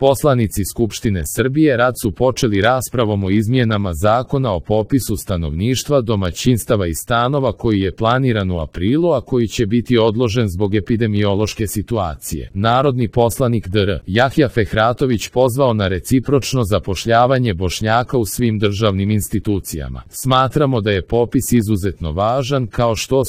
Poslanici Skupštine Srbije rad su počeli raspravom o izmjenama Zakona o popisu stanovništva, domaćinstava i stanova koji je planiran u aprilu, a koji će biti odložen zbog epidemiološke situacije. Narodni poslanik dr. Jahja Fehratović pozvao na recipročno zapošljavanje Bošnjaka u svim državnim institucijama. Smatramo da je popis izuzetno važan, kao što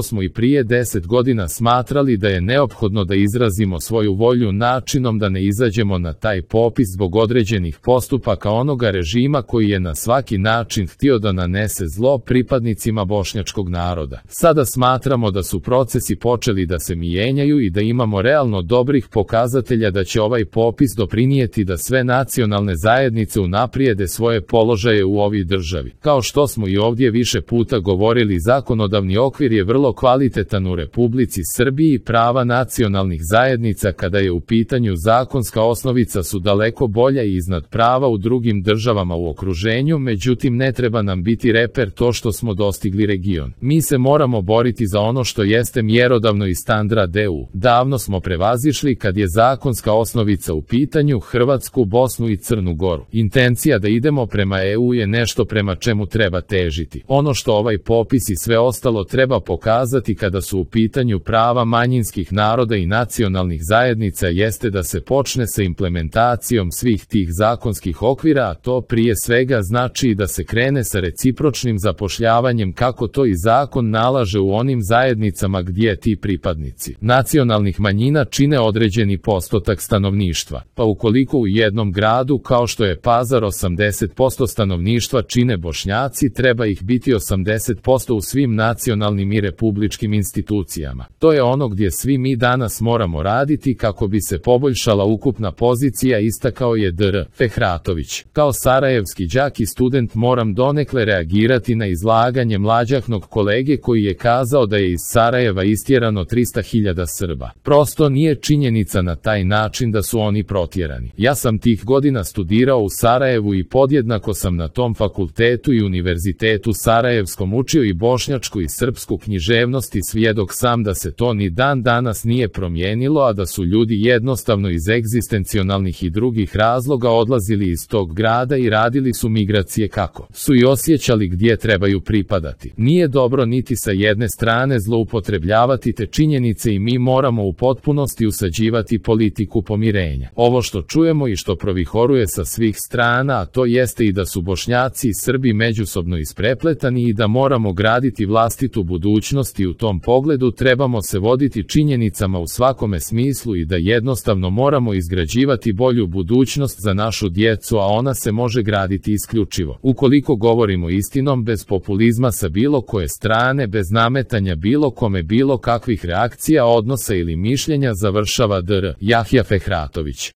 smo i prije 10 godina smatrali da je neophodno da izrazimo svoju volju načinom da ne izađemo na taj popis zbog određenih postupaka onoga režima koji je na svaki način htio da nanese zlo pripadnicima bošnjačkog naroda. Sada smatramo da su procesi počeli da se mijenjaju i da imamo realno dobrih pokazatelja da će ovaj popis doprinijeti da sve nacionalne zajednice unaprijede svoje položaje u ovoj državi. Kao što smo i ovdje više puta govorili, zakonodavni okvir je vrlo kvalitetan u Republici Srbiji i prava nacionalnih zajednica kada je u pitanju zakonska osnovica su daleko bolja i iznad prava u drugim državama u okruženju, međutim ne treba nam biti reper to što smo dostigli region. Mi se moramo boriti za ono što jeste mjerodavno i standard EU. Davno smo prevazišli kad je zakonska osnovica u pitanju Hrvatsku, Bosnu i Crnu Goru. Intencija da idemo prema EU je nešto prema čemu treba težiti. Ono što ovaj popis i sve ostalo treba pokazati kada su u pitanju prava manjinskih naroda i nacionalnih zajednica jeste da se počne sa implementacijom svih tih zakonskih okvira, a to prije svega znači da se krene sa recipročnim zapošljavanjem kako to i zakon nalaže u onim zajednicama gdje ti pripadnici nacionalnih manjina čine određeni postotak stanovništva. Pa ukoliko u jednom gradu kao što je Pazar 80% stanovništva čine Bošnjaci, treba ih biti 80% u svim nacionalnim i republičkim institucijama. To je ono gdje svi mi danas moramo raditi kako bi se poboljšala ukupna pozicija, istakao je dr. Fehratović. Kao sarajevski đak i student moram donekle reagirati na izlaganje mlađahnog kolege koji je kazao da je iz Sarajeva istjerano 300.000 Srba. Prosto nije činjenica na taj način da su oni protjerani. Ja sam tih godina studirao u Sarajevu i podjednako sam na tom fakultetu i univerzitetu sarajevskom učio i bošnjačku i srpsku književnost i svjedok sam da se to ni dan danas nije promijenilo, a da su ljudi jednostavno iz egzistencionalnih i drugih razloga odlazili iz tog grada i radili su migracije kako su i osjećali gdje trebaju pripadati. Nije dobro niti sa jedne strane zloupotrebljavati te činjenice i mi moramo u potpunosti usađivati politiku pomirenja. Ovo što čujemo i što provihoruje sa svih strana, a to jeste i da su Bošnjaci i Srbi međusobno isprepletani i da moramo graditi vlastitu budućnost i u tom pogledu trebamo se voditi činjenicama u svakome smislu i da jednostavno moramo izgrađivati bolju budućnost za našu djecu, a ona se može graditi isključivo ukoliko govorimo istinom, bez populizma sa bilo koje strane, bez nametanja bilo kome bilo kakvih reakcija, odnosa ili mišljenja, završava dr. Jahja Fehratović.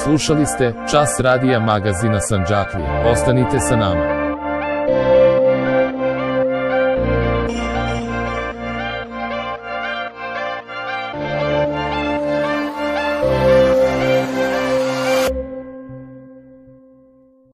Slušali ste Čas radija magazina Sandžaklija. Ostanite sa nama.